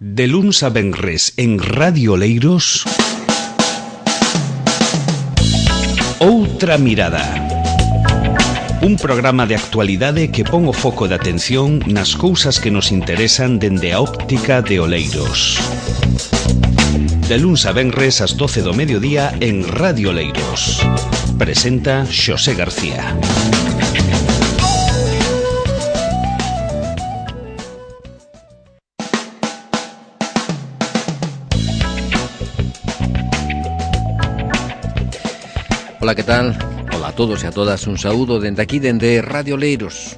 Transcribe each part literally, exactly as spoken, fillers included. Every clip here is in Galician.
De luns a venres en Radio Oleiros, Outra Mirada. Un programa de actualidade que pon o foco de atención nas cousas que nos interesan dende a óptica de Oleiros. De luns a venres ás doce do mediodía en Radio Oleiros. Presenta Xosé García. Ola, que tal? Ola a todos e a todas, un saúdo dende aquí, dende Radio Oleiros.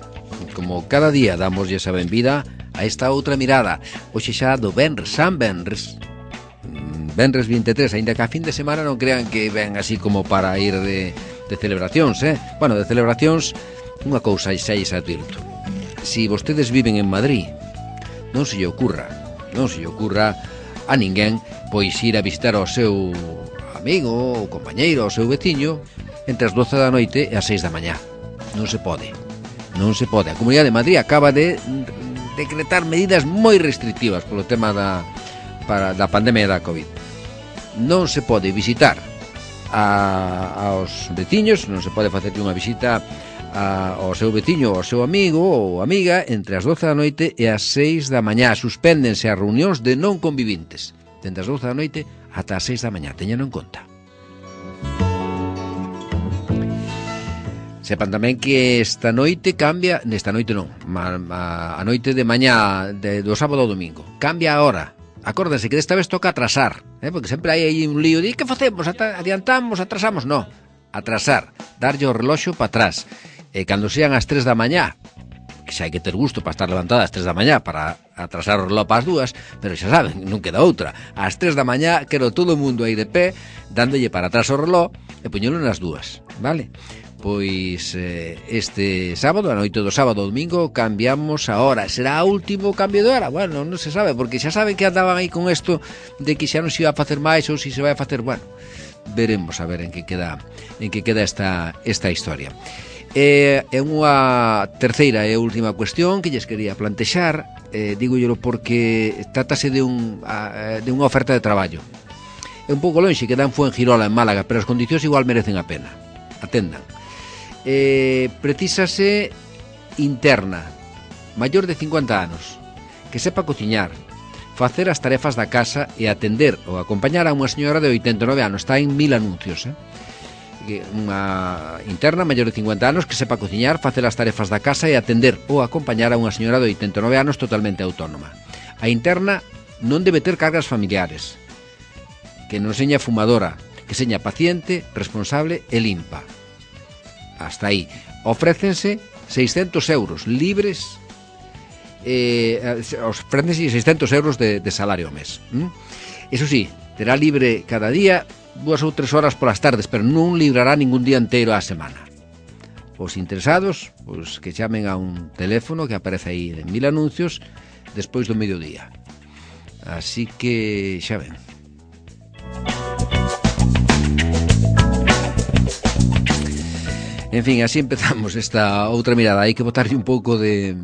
Como cada día damos esa benvida a esta outra mirada. Hoxe xa do Benres, San Benres, Benres vinte e tres, aínda que a fin de semana non crean que ven así como para ir de, de celebracións, eh? Bueno, de celebracións, unha cousa xa lles advirto. Si vostedes viven en Madrid, non se lle ocurra, non se lle ocurra a ninguén pois ir a visitar ao seu amigo ou compañeiro, ao seu veciño entre as doce da noite e as seis da mañá. Non se pode, non se pode. A Comunidade de Madrid acaba de decretar medidas moi restrictivas polo tema da, para, da pandemia da COVID. Non se pode visitar a, aos veciños, non se pode facer unha visita a, ao seu veciño ou ao seu amigo ou amiga entre as doce da noite e as seis da mañá. Suspéndense as reunións de non convivintes dende as doce da noite ata as seis da mañá, teñano en conta. Sepan tamén que esta noite cambia, nesta noite non, a, a, a noite de mañá de, do sábado ao domingo, cambia a hora. Acórdense que desta vez toca atrasar, eh, porque sempre hai aí un lío de que facemos, adiantamos, atrasamos, non, atrasar, darlle o reloxo para atrás, e cando sean as tres da mañá, que xa hai que ter gusto para estar levantada ás tres da mañá para atrasar o reloj para as dúas, pero xa saben, non queda outra. Ás tres da mañá quero todo o mundo aí de pé, dándolle para atrás o reloj e poñelo nas dúas, vale? Pois eh, este sábado, a noite do sábado ao domingo, cambiamos a hora. Será o último cambio de hora? Bueno, non se sabe, porque xa saben que andaban aí con isto de que xa non se iba a facer máis ou se se vai a facer, bueno, veremos a ver en que queda en que queda esta, esta historia. E é unha terceira e última cuestión que lles quería plantexar, eh, dígollelo porque trátase de, un, a, de unha oferta de traballo. É un pouco lonxe, queda en Fuengirola, en Málaga, pero as condicións igual merecen a pena. Atendan. Eh, precisase interna, maior de cincuenta anos, que sepa cociñar, facer as tarefas da casa e atender ou acompañar a unha señora de oitenta e nove anos. Está en mil anuncios, eh? Unha interna maior de cincuenta anos que sepa cociñar, facer as tarefas da casa e atender ou acompañar a unha señora de oitenta e nove anos totalmente autónoma. A interna non debe ter cargas familiares, que non seña fumadora, que seña paciente, responsable e limpa. Hasta aí. Ofrécense seiscentos euros libres, eh, ofrécense seiscentos euros de, de salario ao mes. ¿Mm? Eso sí, terá libre cada día dúas ou tres horas polas tardes, pero non librará ningún día inteiro á semana. Os interesados, pois que chamen a un teléfono que aparece aí en mil anuncios despois do mediodía. Así que xa ven. En fin, así empezamos esta outra mirada. Hai que botarlle un pouco de,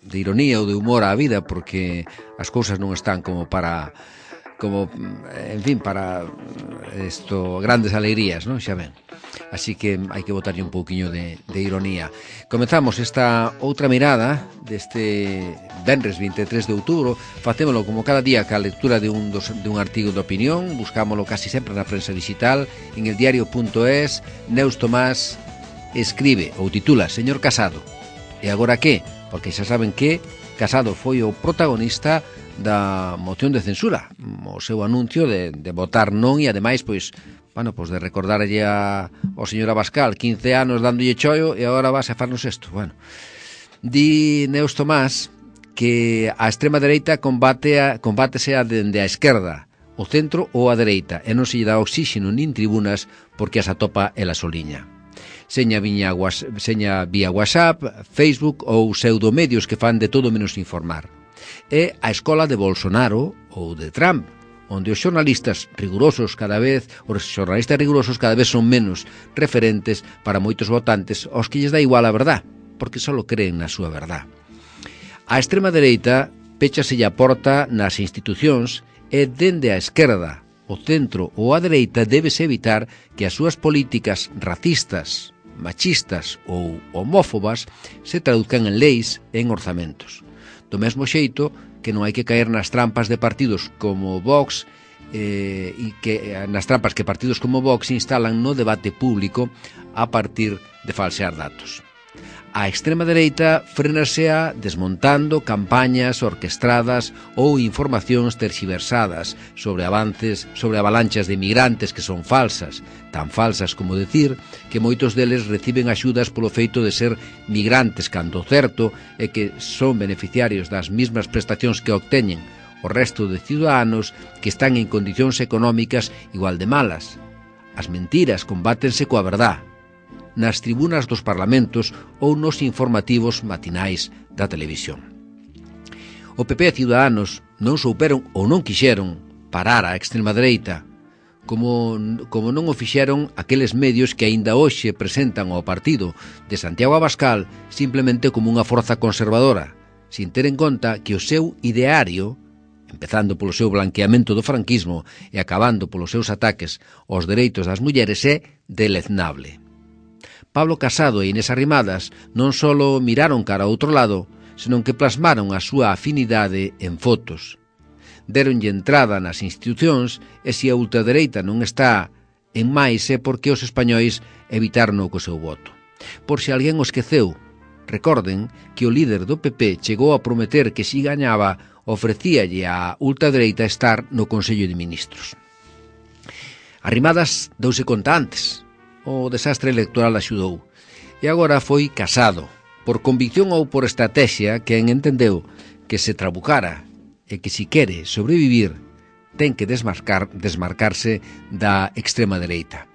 de ironía ou de humor á vida, porque as cousas non están como para como, en fin, para esto, grandes alegrías, non? Xa ven. Así que hai que botarlle un pouquiño de, de ironía. Comezamos esta outra mirada deste venres vinte e tres de outubro. Facémolo como cada día ca lectura de un, dos, de un artigo de opinión. Buscámolo casi sempre na prensa digital, en el diario punto es. Neus Tomás escribe ou titula Señor Casado. E agora que? Porque xa saben que Casado foi o protagonista da moción de censura, o seu anuncio de, de votar non e ademais, pois, bueno, pois de recordarlle a, ao señor Abascal quince anos dándolle chollo e agora vas a farnos isto. Bueno, di Neus Tomás que a extrema dereita combate a, combátese a dende a esquerda, o centro ou a dereita, e non se lle dá oxígeno nin tribunas porque as atopa ela soliña. Seña, viña, seña vía WhatsApp, Facebook ou pseudomedios que fan de todo menos informar. É a escola de Bolsonaro ou de Trump, onde os xornalistas rigurosos cada vez, os xornalistas rigurosos cada vez son menos referentes para moitos votantes aos que lles dá igual a verdad, porque só creen na súa verdad. A extrema dereita péchase a porta nas institucións e dende a esquerda, o centro ou a dereita debese evitar que as súas políticas racistas, machistas ou homófobas se traduzcan en leis e en orzamentos. Do mesmo xeito que non hai que caer nas trampas de partidos como Vox eh, e que nas trampas que partidos como Vox instalan no debate público a partir de falsear datos. A extrema dereita frenasea desmontando campañas orquestradas ou informacións terxiversadas sobre avances, sobre avalanchas de migrantes que son falsas, tan falsas como decir que moitos deles reciben axudas polo feito de ser migrantes cando certo e que son beneficiarios das mesmas prestacións que obteñen o resto de ciudadanos que están en condicións económicas igual de malas. As mentiras combátense coa verdade nas tribunas dos parlamentos ou nos informativos matinais da televisión. O P P e Ciudadanos non souperon ou non quixeron parar a extrema dereita, como, como non o fixeron aqueles medios que aínda hoxe presentan ao partido de Santiago Abascal simplemente como unha forza conservadora, sin ter en conta que o seu ideario, empezando polo seu blanqueamento do franquismo e acabando polos seus ataques aos dereitos das mulleres, é deleznable. Pablo Casado e Inés Arrimadas non só miraron cara a outro lado, senón que plasmaron a súa afinidade en fotos. Deronlle entrada nas institucións e se a ultradereita non está en máis é porque os españois evitaron co seu voto. Por se alguén o esqueceu, recorden que o líder do P P chegou a prometer que si gañaba ofrecíalle a ultradereita estar no Consello de Ministros. Arrimadas douse conta antes. O desastre electoral axudou. E agora foi Casado, por convicción ou por estrategia, quen entendeu que se trabucara e que si quere sobrevivir ten que desmarcar, desmarcarse da extrema dereita.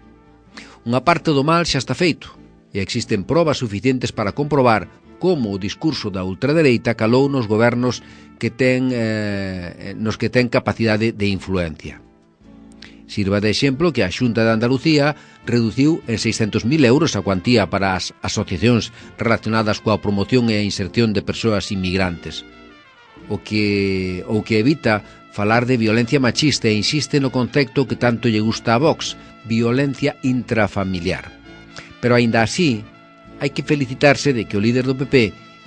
Unha parte do mal xa está feito e existen probas suficientes para comprobar como o discurso da ultradereita calou nos gobernos que ten, eh, nos que ten capacidade de influencia. Sirva de exemplo que a Xunta de Andalucía reduciu en seiscentos mil euros a cuantía para as asociacións relacionadas coa promoción e a inserción de persoas inmigrantes, o que, o que evita falar de violencia machista e insiste no concepto que tanto lle gusta a Vox, violencia intrafamiliar. Pero aínda así, hai que felicitarse de que o líder do P P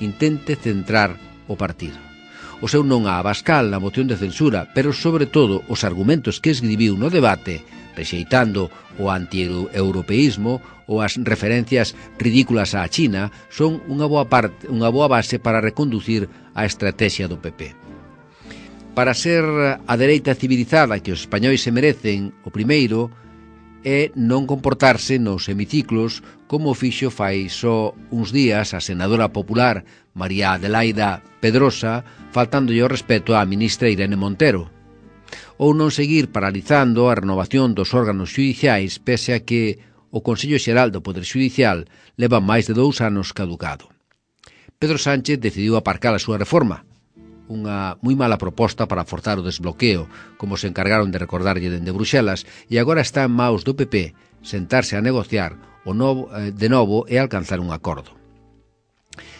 intente centrar o partido. O seu non a Abascal na moción de censura, pero sobre todo os argumentos que escribiu no debate, rexeitando o anti-europeísmo ou as referencias ridículas á China, son unha boa, parte, unha boa base para reconducir a estrategia do P P. Para ser a dereita civilizada que os españois se merecen, o primeiro é non comportarse nos hemiciclos como fixo fai só uns días a senadora popular María Adelaida Pedrosa, faltándolle o respeto á ministra Irene Montero, ou non seguir paralizando a renovación dos órganos xudiciais pese a que o Consello Xeral do Poder Xudicial leva máis de dous anos caducado. Pedro Sánchez decidiu aparcar a súa reforma, unha moi mala proposta para forzar o desbloqueo, como se encargaron de recordarlle dende Bruxelas, e agora está en maus do P P sentarse a negociar o novo, eh, de novo e alcanzar un acordo.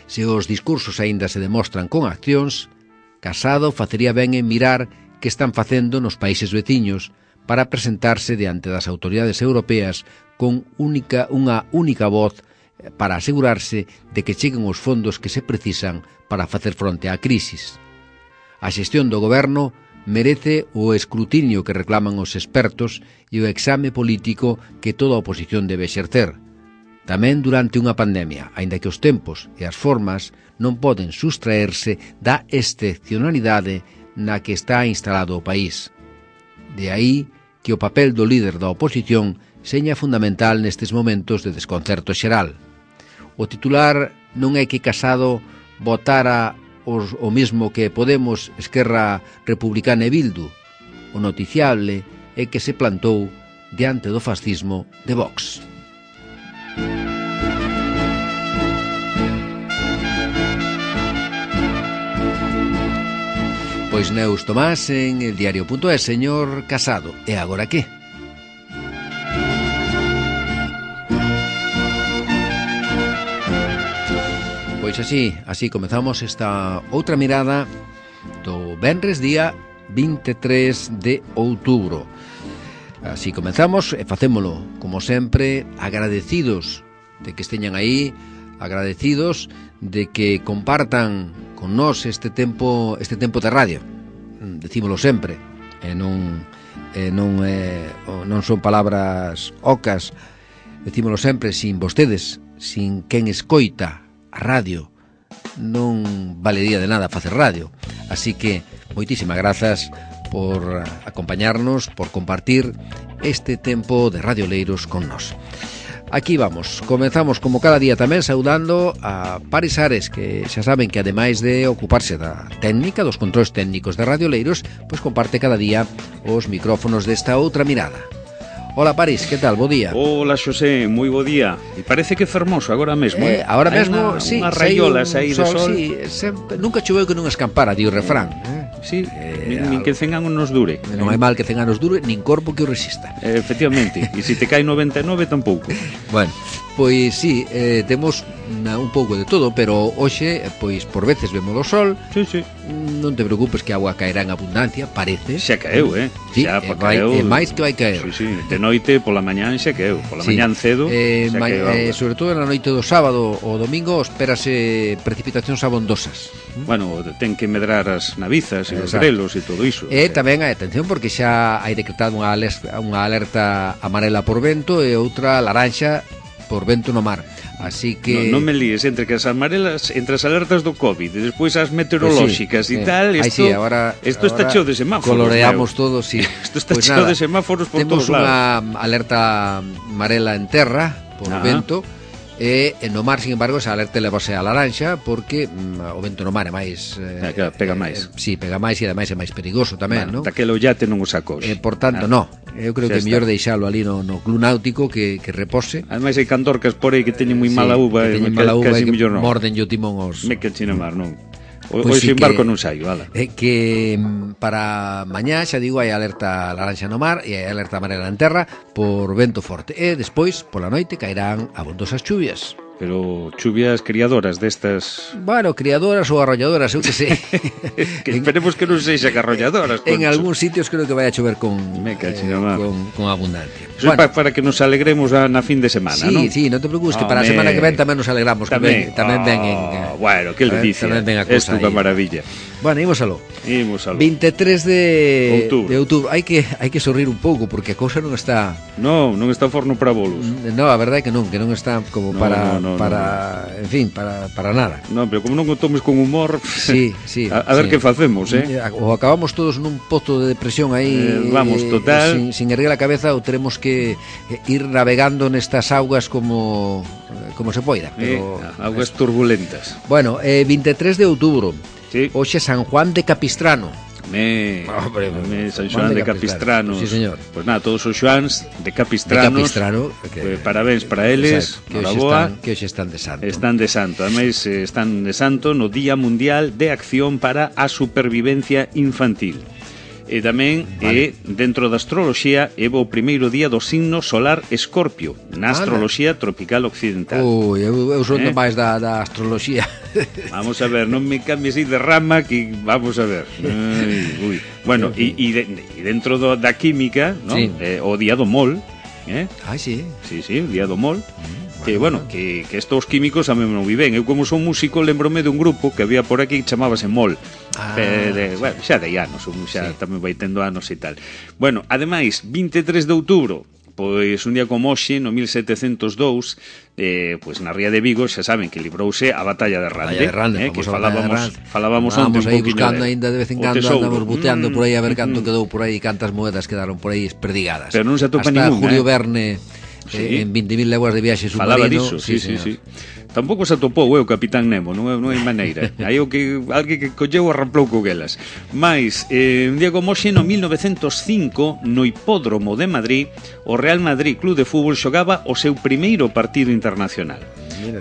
Se os discursos aínda se demostran con accións, Casado facería ben en mirar que están facendo nos países veciños para presentarse diante das autoridades europeas con única, unha única voz para asegurarse de que cheguen os fondos que se precisan para facer fronte á crisis. A xestión do goberno merece o escrutinio que reclaman os expertos e o exame político que toda a oposición debe exercer. Tamén durante unha pandemia, aínda que os tempos e as formas non poden sustraerse da excepcionalidade na que está instalado o país. De aí que o papel do líder da oposición seña fundamental nestes momentos de desconcerto xeral. O titular non é que Casado votara os, o mesmo que Podemos, Esquerra Republicana e Bildu. O noticiable é que se plantou diante do fascismo de Vox. Pois Neus Tomás en el diario punto es, señor Casado. E agora que? Pois así, así comezamos esta outra mirada do venres día vinte e tres de outubro. Así comenzamos e facémolo, como sempre, agradecidos de que esteñan aí, agradecidos de que compartan con nós este tempo este tempo de radio. Decímolo sempre, e non e non é, non son palabras ocas. Decímolo sempre, sin vostedes, sin quen escoita a radio, non valería de nada facer radio. Así que moitísimas grazas por acompañarnos, por compartir este tempo de Radio Oleiros con nós. Aquí vamos, comenzamos como cada día tamén saudando a Paris Ares, que xa saben que ademais de ocuparse da técnica, dos controles técnicos de Radio Oleiros, pois comparte cada día os micrófonos desta outra mirada. Hola Paris, que tal? Bo día. Hola Xosé, moi bo día. E parece que é fermoso agora mesmo, eh? eh agora mesmo, una, sí, unha raiolas aí de sol. Sí, sempre, nunca choveu que non escampara, di o refrán, eh? Sí, eh, nin, nin que cen anos nos dure. Non hai mal que cen anos dure, nin corpo que o resista. Eh, efectivamente, e se te cae noventa e nove tampouco. Bueno, pois sí, eh, temos na, un pouco de todo, pero hoxe, pois por veces vemos o sol. Sí, sí. Non te preocupes que a agua caerá en abundancia, parece. Xa caeu, eh? Sí, xa e, vai, caeu. E máis que vai caer. Sí, sí, de noite pola mañán xa caeu, pola sí. mañán cedo eh, xa ma, caeu. Eh, sobre todo na noite do sábado ou domingo espérase precipitacións abondosas. Bueno, ten que medrar as navizas e os Exacto. grelos e todo iso. E tamén hai atención porque xa hai decretado unha alerta, unha alerta amarela por vento e outra laranxa por vento no mar. Así que non no me líes entre que as amarelas, entre as alertas do COVID e despois as meteorolóxicas pues sí, e tal, eh. isto Ay, sí, ahora, isto está ahora cheo de semáforos. Coloreamos meu. todos, sí. Isto está pues cheo nada, de semáforos por todos lados. Temos unha alerta amarela en terra por ah. vento. E no mar, sin embargo, esa alerta levase a laranxa porque mm, o vento no mar é máis ah, eh, claro, pega máis. Eh, sí, pega máis e ademais é máis perigoso tamén, bueno, non? Daquelo yate non o sacou. Eh, por tanto, ah. no. Eu creo Xa que é mellor deixalo ali no, no club náutico que, que repose. Ademais hai candorcas por aí que teñen moi sí, mala uva, que teñen e mala uva casi e que mellor non. morden o timón os... Me que china mar, non. O, Pois hoxe sí embarco que, non saio, ala. É que para mañá, xa digo, hai alerta laranxa no mar e hai alerta amarela en terra por vento forte. E despois, pola noite, caerán abondosas chuvias. Pero chuvias criadoras destas... Bueno, criadoras ou arrolladoras, eu que sei. que esperemos que non sexa que arrolladoras. En algúns sitios creo que vai a chover con, Me eh, con, con abundancia. Eso bueno, é para que nos alegremos a, na fin de semana, sí, non? Sí, sí, non te preocupes, oh, que para a semana que ven tamén nos alegramos. Tamén, que ven, tamén oh, ven en... Bueno, que le dice, tamén ven a cosa esto da maravilla. Bueno, imos aló. Imos aló. vinte e tres de outubro. de outubro. Hai que hai que sorrir un pouco porque a cousa non está. No, non está forno para bolos. No, a verdade é que non, que non está como no, para no, no, para, no. en fin, para para nada. No, pero como non o tomes con humor, sí, sí. A, a ver sí. que facemos, eh? O acabamos todos nun pozo de depresión aí, eh, vamos, total, sin, sin erguer a cabeza ou teremos que ir navegando nestas augas como como se poida, pero eh, augas turbulentas. Bueno, eh, vinte e tres de outubro. Sí. Hoxe San Juan de Capistrano. Me, Hombre, me San Xoán de, de Capistrano. Sí, señor. Pues nada, todos os Xoáns de Capistranos. De Capistrano. Que, pues, parabéns para eles. Que hoxe están, que hoxe están de santo. Están de santo. Ademais, están de santo no Día Mundial de Acción para a Supervivencia Infantil. E tamén vale. é dentro da astroloxía é o primeiro día do signo solar Escorpio na astroloxía vale. tropical occidental. Ui, eu, eu son eh? máis da, da astroloxía. Vamos a ver, non me cambies aí de rama que vamos a ver. Ai, ui. Bueno, e, e, de, e dentro do, da química, ¿no? Sí. eh, o día do mol, eh? Ai, sí. Sí, sí, o día do mol. Mm. Que, bueno, que, que estos químicos a mí non viven. Eu como son músico lembrome de un grupo que había por aquí que chamábase Mol. Ah, de, de, bueno, xa de anos, xa sí. tamén vai tendo anos e tal. Bueno, ademais, vinte e tres de outubro, pois un día como hoxe, no mil setecentos dous, eh, pois na ría de Vigo, xa saben que librouse a batalla de Rande, de Rande eh, que falábamos, falábamos onte un pouquinho buscando de, ainda de vez en cando, andamos buteando mm, por aí a ver canto mm, quedou por aí, cantas moedas quedaron por aí esperdigadas. Pero non se atopa Hasta ningún, Julio eh? Verne sí. en vinte mil leguas de viaxe submarino. Falaba diso, sí, sí, sí, sí. Tampouco se atopou eu, Capitán Nemo, non, non hai maneira. Hai o que alguén que colleu arramplou coguelas. Mais, eh, un día como hoxe, no mil novecentos cinco, no Hipódromo de Madrid, o Real Madrid Club de Fútbol xogaba o seu primeiro partido internacional.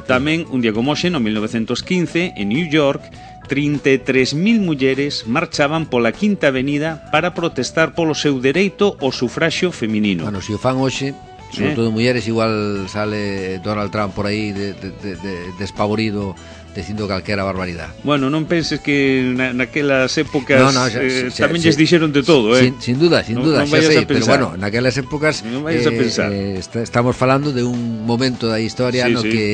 Tamén, un día como hoxe, no mil novecentos quince, en New York, trinta e tres mil mulleres marchaban pola Quinta Avenida para protestar polo seu dereito ao sufraxio feminino. Bueno, se o fan hoxe, sobre eh? todo mulleres, igual sale Donald Trump por aí de, de, de, de, despavorido dicindo calquera barbaridade. Bueno, non penses que na, naquelas épocas no, no, xa, eh, xa, tamén xa, lles dixeron de todo, eh? Sin, sin duda, sin non, duda, non xa sei, pero pensar. bueno, naquelas épocas non vayas eh, a pensar. Eh, está, estamos falando de un momento da historia sí, no sí. que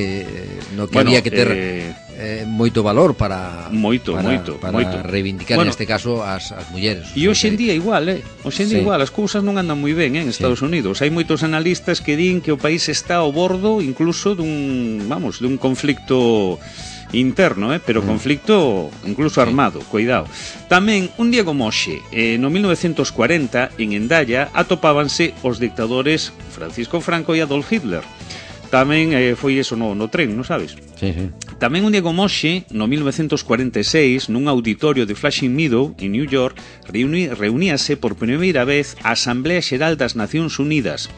no que bueno, había que ter eh... Eh, moito valor para moito, para, moito, para moito. reivindicar bueno, neste caso as, as mulleres. E hoxe en día igual, eh? Hoxe en día sí. igual, as cousas non andan moi ben eh, en Estados sí. Unidos. Hai moitos analistas que din que o país está ao bordo incluso dun, vamos, dun conflicto interno, eh? pero mm. conflicto incluso armado, sí. cuidado. Tamén, un día como hoxe, eh, no mil novecientos cuarenta, en Endaya, atopábanse os dictadores Francisco Franco e Adolf Hitler. Tamén eh, foi eso no, no tren, non sabes? Sí, sí. Tamén un día como hoxe, no mil novecientos cuarenta e seis, nun auditorio de Flushing Meadow, en New York, reuni, reuníase por primeira vez a Asamblea Xeral das Nacións Unidas.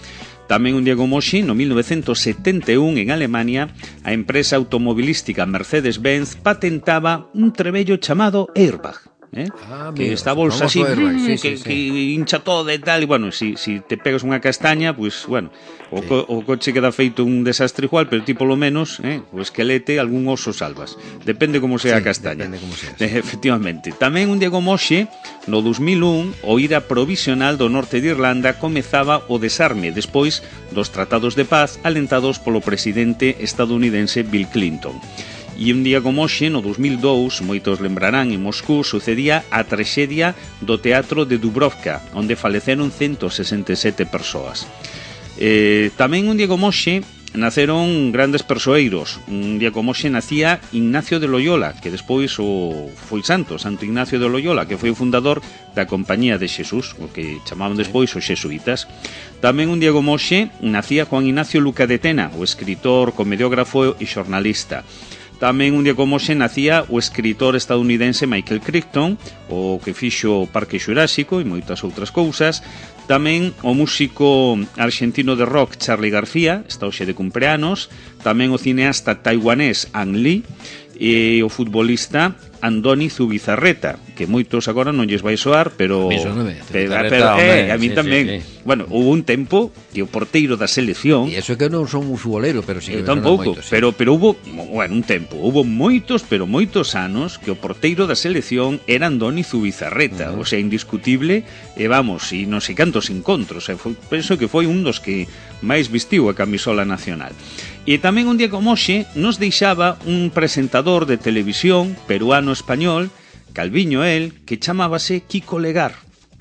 Tamén un día como hoxe, no mil novecientos setenta e un, en Alemania, a empresa automobilística Mercedes-Benz patentaba un trebello chamado Airbag. ¿eh? Ah, que amigo, esta bolsa así airbag, sí, que, sí, sí. que hincha todo e tal, e bueno, si, si te pegas unha castaña, pues bueno, o, sí. co, o coche queda feito un desastre igual, pero ti polo menos, eh, o esquelete, algún oso salvas, depende como sea sí, a castaña, como sea, sí. Efectivamente. Tamén un día como hoxe, no dos mil un, o ira provisional do norte de Irlanda comezaba o desarme despois dos tratados de paz alentados polo presidente estadounidense Bill Clinton. E un día como hoxe, no dos mil dous, moitos lembrarán, en Moscú sucedía a traxedia do teatro de Dubrovka, onde faleceron ciento sesenta e sete persoas. Eh, tamén un día como hoxe naceron grandes persoeiros. Un día como hoxe nacía Ignacio de Loyola, que despois o foi santo, Santo Ignacio de Loyola, que foi o fundador da Compañía de Xesús, o que chamaban despois os xesuítas. Tamén un día como hoxe nacía Juan Ignacio Luca de Tena, o escritor, comediógrafo e xornalista. Tamén un día como hoxe nacía o escritor estadounidense Michael Crichton, o que fixo o Parque Xurásico e moitas outras cousas. Tamén o músico argentino de rock Charly García, está hoxe de cumpleanos. Tamén o cineasta taiwanés Ang Lee e o futbolista Andoni Zubizarreta, que moitos agora non lles vai soar, pero a mí, soname, pero, pero eh, a mí sí, tamén. Sí, sí. Bueno, houve un tempo que o porteiro da selección, e iso que non son un futbolero, pero sí que tampouco, moito, sí. pero pero houve, bueno, un tempo, houve moitos, pero moitos anos que o porteiro da selección era Andoni Zubizarreta, uh -huh. o sea, indiscutible, e vamos, e non sei cantos encontros, e foi, penso que foi un dos que máis vestiu a camisola nacional. E tamén un día como hoxe nos deixaba un presentador de televisión peruano-español, calviño el, que chamábase Kiko Legar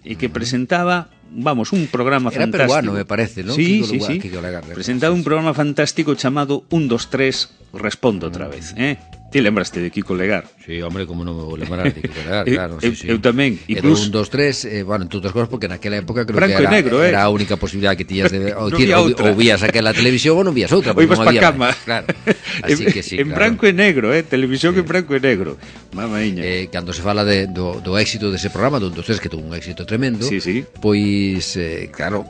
e que presentaba, vamos, un programa era fantástico. Era peruano, me parece, ¿no? Sí, Kiko sí, Legar, sí. Kiko Legar, presentaba un programa fantástico chamado un, dos, tres, respondo outra vez, eh? Ti lembraste de Kiko Legar? Sí, hombre, como non me vou lembrar de Kiko Legar, claro. eu, sí, sí. eu tamén, incluso... un, dos, tres, eh, bueno, entre outras cosas, porque naquela época creo Branco que era, negro, eh? era a única posibilidad que tiñas de... O, no tira, ou, ou vías aquela televisión ou non vías outra, porque non había cama. máis. Claro, así que sí, en claro. branco e negro, eh? Televisión sí. En branco e negro. Mamaíña. Eh, cando se fala de, do, do éxito dese programa, do un, dos, tres, que tuvo un éxito tremendo, sí, sí. Pois, eh, claro,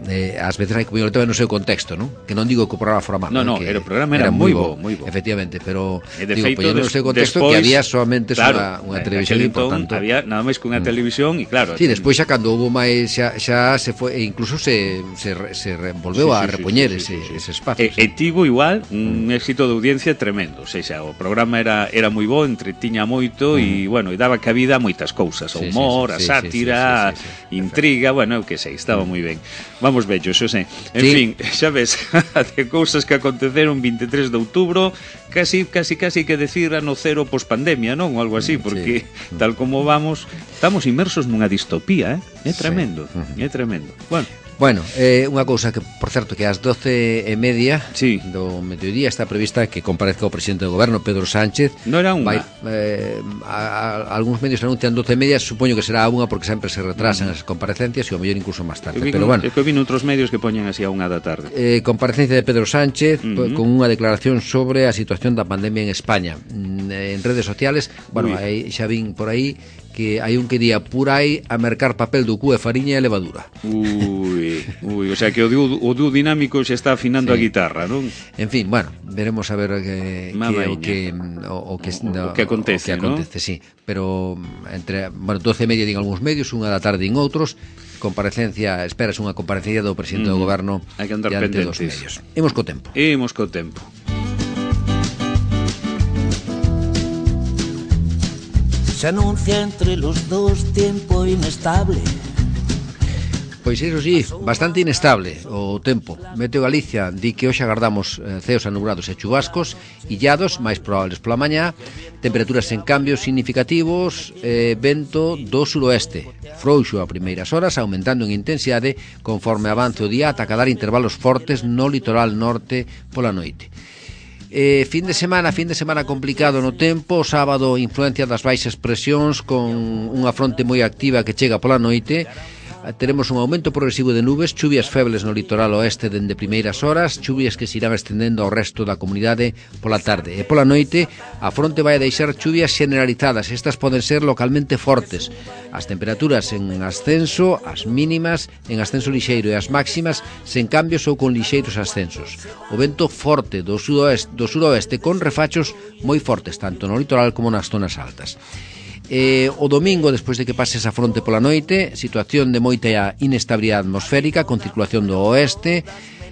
eh, ás veces hai que poñerlo no seu contexto, non? Que non digo que o programa fora malo. No, no, que era o programa era, era moi bo, moi bo. Efectivamente, pero e de digo, feito, poñerlo no seu contexto despois, que había solamente claro, unha, unha televisión importante. Había nada máis que unha mm. televisión e claro. Sí, despois xa cando houve máis xa, xa se foi e incluso se se, se volveu sí, sí, a repoñer sí, sí, ese, sí, sí. ese espacio. E, sí. e tivo igual un mm. éxito de audiencia tremendo, o sea, o programa era era moi bo, entretiña moito e mm. bueno, e daba cabida a moitas cousas, o humor, sí, sí, sí, a sátira, sí, sí, sí, sí, sí. intriga, bueno, eu que sei, estaba mm. moi ben. Vamos vello, xo sei. En sí. fin, xa ves, de cousas que aconteceron vinte e tres de outubro, casi casi casi que decir ano cero pospandemia, non? Ou algo así, porque sí. tal como vamos, estamos inmersos nunha distopía, eh? É tremendo, sí. é tremendo. Bueno, Bueno, eh, unha cousa que, por certo, que ás doce e media sí. do mediodía está prevista que comparezca o presidente do goberno, Pedro Sánchez. Non era unha? Vai, eh, a, a, algúns medios anuncian doce e media, supoño que será unha porque sempre se retrasan as comparecencias e o mellor incluso máis tarde. Pero bueno, é que vi outros medios que poñen así a unha da tarde. Eh, comparecencia de Pedro Sánchez uh -huh. con unha declaración sobre a situación da pandemia en España. En redes sociales, bueno, aí, xa vin por aí que hai un que día por aí a mercar papel do cu e fariña e levadura. Ui, ui, o sea que o dúo, o dúo dinámico xa está afinando sí. a guitarra, non? En fin, bueno, veremos a ver que, que o que o, o que no, o que acontece, o que acontece, ¿no? sí, pero entre, bueno, doce e media din algúns medios, unha da tarde en outros. Comparecencia, esperas unha comparecencia do presidente mm, do goberno hai que andar diante dos medios. Imos co tempo. Imos co tempo. Se anuncia entre los dos tiempo inestable. Pois iso sí, bastante inestable o tempo. Meteo Galicia di que hoxe agardamos eh, ceos anubrados e chubascos, illados, máis probables pola mañá, temperaturas en cambios significativos, eh, vento do suroeste, frouxo a primeiras horas, aumentando en intensidade conforme avance o día ata cadar intervalos fortes no litoral norte pola noite. Eh, fin de semana, fin de semana complicado no tempo, o sábado influencia das baixas presións con unha fronte moi activa que chega pola noite. Teremos un aumento progresivo de nubes, chuvias febles no litoral oeste dende primeiras horas, chuvias que se irán estendendo ao resto da comunidade pola tarde. E pola noite, a fronte vai a deixar chuvias generalizadas, estas poden ser localmente fortes. As temperaturas en ascenso, as mínimas en ascenso lixeiro e as máximas sen cambios ou con lixeiros ascensos. O vento forte do sudoeste, do suroeste con refachos moi fortes, tanto no litoral como nas zonas altas. Eh, o domingo, despois de que pase esa fronte pola noite, situación de moita inestabilidade atmosférica con circulación do oeste,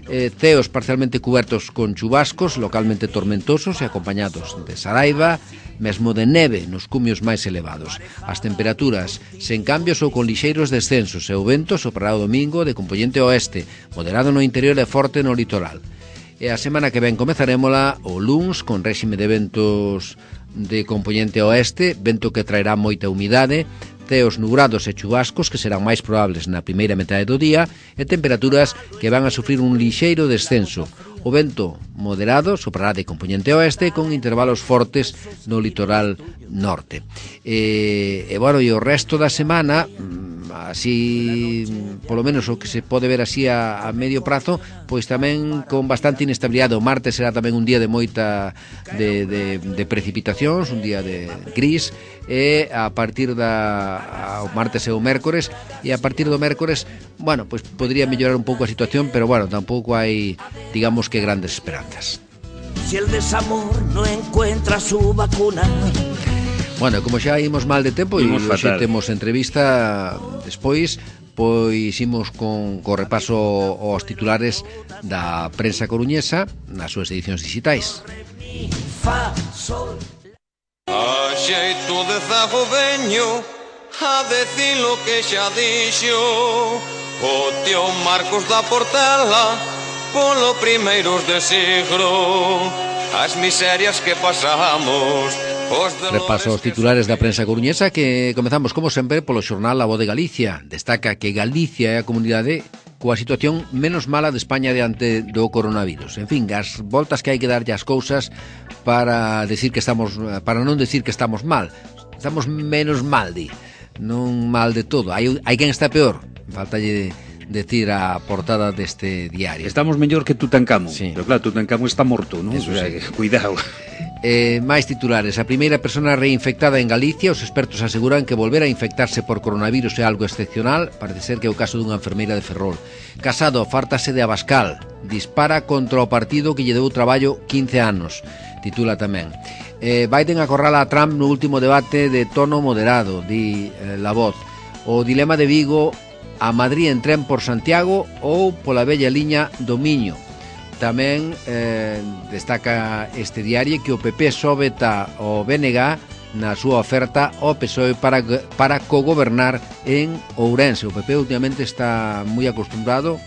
eh, ceos parcialmente cubertos con chubascos localmente tormentosos e acompañados de saraiva, mesmo de neve nos cumios máis elevados. As temperaturas sen cambios ou con lixeiros descensos e o vento soprará o domingo de compoñente oeste, moderado no interior e forte no litoral. E a semana que ven comezarémola o luns con réxime de ventos de compoñente oeste, vento que traerá moita humidade, ceos nubrados e chubascos que serán máis probables na primeira metade do día e temperaturas que van a sufrir un lixeiro descenso. O vento moderado soprará de compoñente oeste con intervalos fortes no litoral norte. E, e bueno, e o resto da semana, así, polo menos o que se pode ver así a, a medio prazo, pois tamén con bastante inestabilidade. O martes será tamén un día de moita de, de, de precipitacións, un día de gris, e a partir da o martes e o mércores, e a partir do mércores, bueno, pois podría mellorar un pouco a situación, pero bueno, tampouco hai, digamos que grandes esperanzas. Si el desamor no encuentra su vacuna. Bueno, como xa imos mal de tempo e hoxe temos entrevista despois, pois imos con co repaso aos titulares da prensa coruñesa nas súas edicións digitais. A xeito de zago veño a decir lo que xa dixo o tío Marcos da Portela polo primeiros de siglo, as miserias que pasamos. Repaso os titulares da prensa coruñesa, que comezamos como sempre polo xornal A Voz de Galicia. Destaca que Galicia é a comunidade coa situación menos mala de España diante do coronavirus. En fin, as voltas que hai que darlle as cousas para decir que estamos, para non decir que estamos mal. Estamos menos mal, di. Non mal de todo. Hai, hai quen está peor. Faltalle decir a portada deste diario. Estamos mellor que Tutankamón, sí. Pero claro, Tutankamón está morto, non? Eso o sea, sí. Cuidado. Eh, máis titulares. A primeira persona reinfectada en Galicia. Os expertos aseguran que volver a infectarse por coronavirus é algo excepcional. Parece ser que é o caso dunha enfermeira de Ferrol. Casado fártase de Abascal. Dispara contra o partido que lle deu traballo quince anos. Titula tamén. eh, Biden acorrala a Trump no último debate de tono moderado, di eh, La Voz. O dilema de Vigo: a Madrid en tren por Santiago ou pola bella liña do Miño. Tamén eh, destaca este diario que o P P sobeta o B N G na súa oferta ao P S O E para, para cogobernar en Ourense. O P P últimamente está moi acostumbrado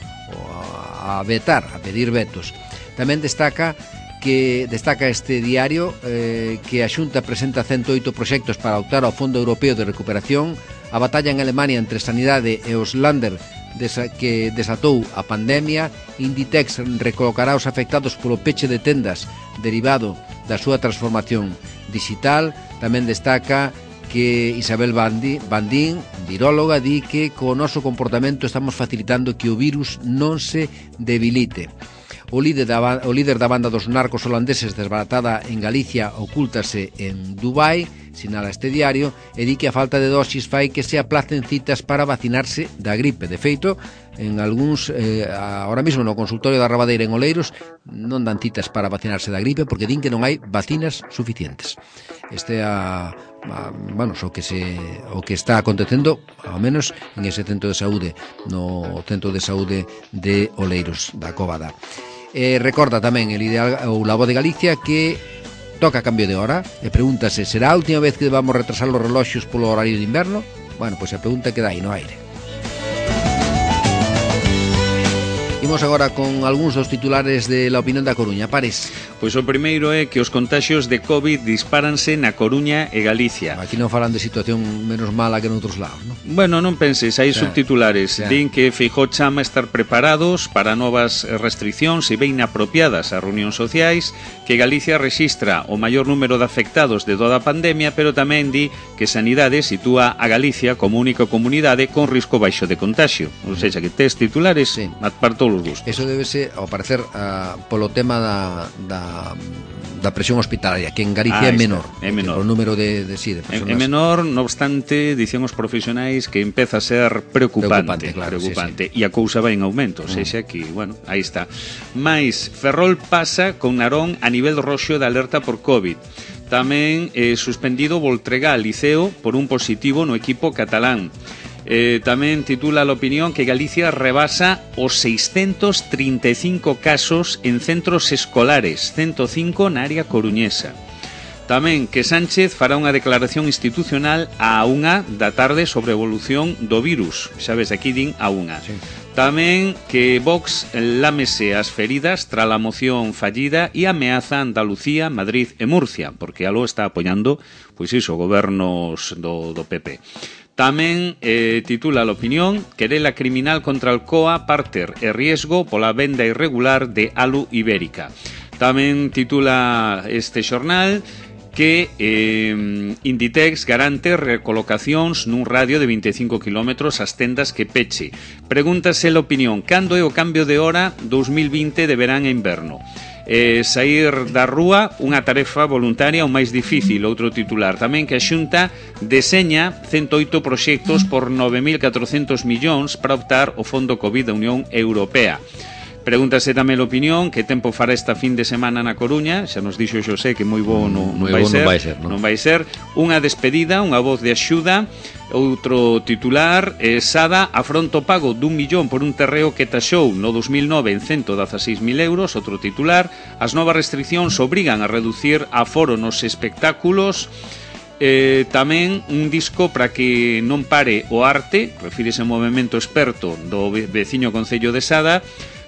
a vetar, a pedir vetos. Tamén destaca que destaca este diario eh, que a Xunta presenta ciento oito proxectos para optar ao Fondo Europeo de Recuperación. A batalla en Alemania entre Sanidade e os Länder desa, que desatou a pandemia. Inditex recolocará os afectados polo peche de tendas derivado da súa transformación digital. Tamén destaca que Isabel Bandín, Bandín, viróloga, di que co noso comportamento estamos facilitando que o virus non se debilite. O líder da, o líder da banda dos narcos holandeses desbaratada en Galicia ocúltase en Dubai, sinala este diario, e di que a falta de dosis fai que se aplacen citas para vacinarse da gripe. De feito, en algúns, eh, ahora mesmo no consultorio da Rabadeira en Oleiros, non dan citas para vacinarse da gripe porque din que non hai vacinas suficientes. Este é a, a, bueno, o que se o que está acontecendo, ao menos en ese centro de saúde, no centro de saúde de Oleiros da Cóvada. Eh, recorda tamén el ideal ou La Voz de Galicia que toca cambio de hora, e pregúntase, será a última vez que vamos retrasar os reloxos polo horario de inverno? Bueno, pois a pregunta queda aí no aire. Imos agora con algúns dos titulares de La Opinión da Coruña. Pares. Pois o primeiro é que os contaxios de COVID dispáranse na Coruña e Galicia. Aquí non falan de situación menos mala que noutros lados, non? Bueno, non penses, hai Sí, subtitulares. sí. Din que Feijóo chama a estar preparados para novas restriccións e ben apropiadas ás reunións sociais, que Galicia rexistra o maior número de afectados de toda a pandemia, pero tamén di que Sanidade sitúa a Galicia como única comunidade con risco baixo de contagio. Ou seja, que tes titulares Sí. para todos os gustos. Eso débese, ao parecer, uh, polo tema da, da, da presión hospitalaria, que en Galicia Ah, é está, menor. é menor. O número de, de, sí, de É, personas. é menor, no obstante, dicen os profesionais que empeza a ser preocupante, Preocupante, claro, preocupante sí, sí. E a cousa vai en aumento, mm. sexa que, bueno, aí está. Mais Ferrol pasa con Narón a nivel roxo de alerta por COVID. Tamén eh, suspendido Voltregá Liceo por un positivo no equipo catalán. Eh, tamén titula a opinión que Galicia rebasa os seiscentos trinta e cinco casos en centros escolares, ciento cinco na área coruñesa. Tamén que Sánchez fará unha declaración institucional á unha da tarde sobre a evolución do virus. Sabes, aquí din a unha. Sí. Tamén que Vox lámese as feridas tras a moción fallida e ameaza Andalucía, Madrid e Murcia, porque algo está apoiando, pois iso, gobernos do, do P P. Tamén eh, titula a opinión querela criminal contra Alcoa, Parter e riesgo pola venda irregular de alu ibérica. Tamén titula este xornal que eh, Inditex garante recolocacións nun radio de vinte e cinco kilómetros ás tendas que peche. Pregúntase a opinión, cando é o cambio de hora dous mil vinte de verán e inverno? Eh, sair da rúa, unha tarefa voluntaria o máis difícil, outro titular. Tamén que a Xunta deseña cento oito proxectos por nove mil catrocentos millóns para optar o Fondo COVID da Unión Europea. Pregúntase tamén a opinión que tempo fará esta fin de semana na Coruña. Xa nos dixo Xosé que moi bo non, non, vai, bo ser, non vai ser, non? non vai ser. Unha despedida, unha voz de axuda. Outro titular, eh, Sada afronta o pago dun millón por un terreo que taxou no dos mil nove en cento dezaseis mil euros. Outro titular, as novas restriccións obrigan a reducir aforo nos espectáculos. Eh, tamén un disco para que non pare o arte, refírese ao movimento experto do veciño concello de Sada.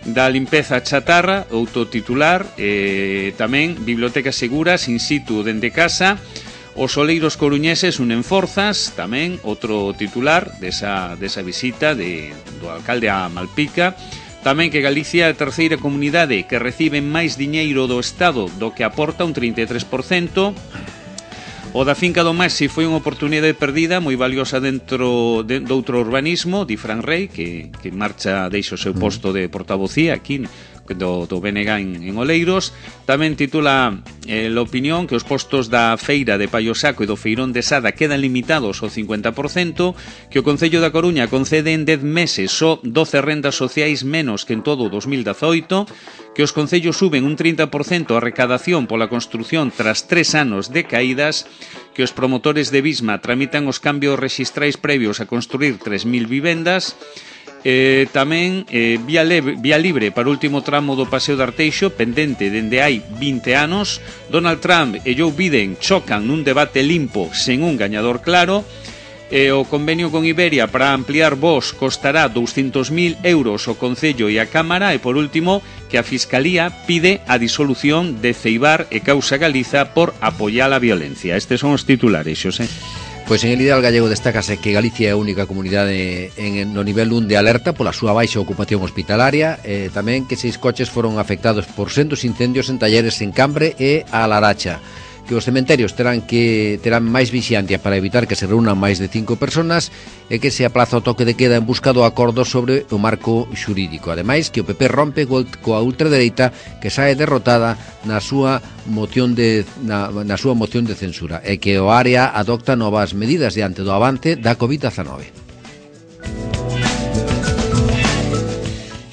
Da limpeza chatarra, outro titular, eh, tamén bibliotecas seguras in situ dende casa. Os oleiros coruñeses unen forzas, tamén outro titular desa, desa visita de, do alcalde a Malpica. Tamén que Galicia é a terceira comunidade que recibe máis diñeiro do Estado do que aporta, un trinta e tres por cento. O da finca do Maxi foi unha oportunidade perdida moi valiosa dentro de, de outro urbanismo, di Fran Rey, que, que marcha, deixa o seu posto de portavocía aquí do, do B N G en, en Oleiros. Tamén titula eh, a opinión que os postos da feira de Paiosaco e do feirón de Sada quedan limitados ao cincuenta por cento, que o Concello da Coruña concede en dez meses só doce rendas sociais menos que en todo o dos mil dezoito, que os concellos suben un trinta por cento a recadación pola construción tras tres anos de caídas, que os promotores de Bisma tramitan os cambios rexistrais previos a construir tres mil vivendas. Eh, tamén eh, vía, leve, vía libre para o último tramo do Paseo de Arteixo, pendente dende hai vinte anos. Donald Trump e Joe Biden chocan nun debate limpo sen un gañador claro. Eh, o convenio con Iberia para ampliar voos costará douscentos mil euros o Concello e a Cámara. E por último, que a Fiscalía pide a disolución de Ceibar e Causa Galiza por apoiar a violencia. Estes son os titulares, Xosé. Pois en el ideal gallego destácase que Galicia é a única comunidade en, no nivel un de alerta pola súa baixa ocupación hospitalaria, e tamén que seis coches foron afectados por sendos incendios en talleres en Cambre e a Laracha, que os cementerios terán que terán máis vixiantia para evitar que se reúnan máis de cinco personas, e que se aplaza o toque de queda en busca do acordo sobre o marco xurídico. Ademais, que o P P rompe coa ultradereita que sae derrotada na súa moción de na, na súa moción de censura, e que o área adopta novas medidas diante do avance da covid diecinueve.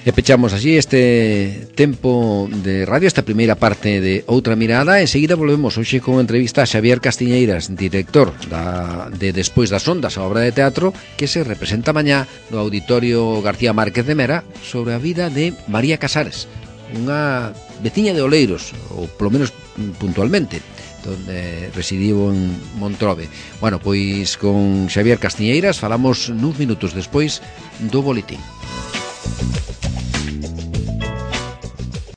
E pechamos así este tempo de radio, esta primeira parte de Outra Mirada. Enseguida volvemos hoxe con entrevista a Xavier Castiñeiras, director da, de Despois das Ondas, a obra de teatro que se representa mañá no Auditorio García Márquez de Mera, sobre a vida de María Casares, unha veciña de Oleiros, ou polo menos puntualmente. donde residiu en Montrove. Bueno, pois con Xavier Castiñeiras falamos nuns minutos despois do boletín.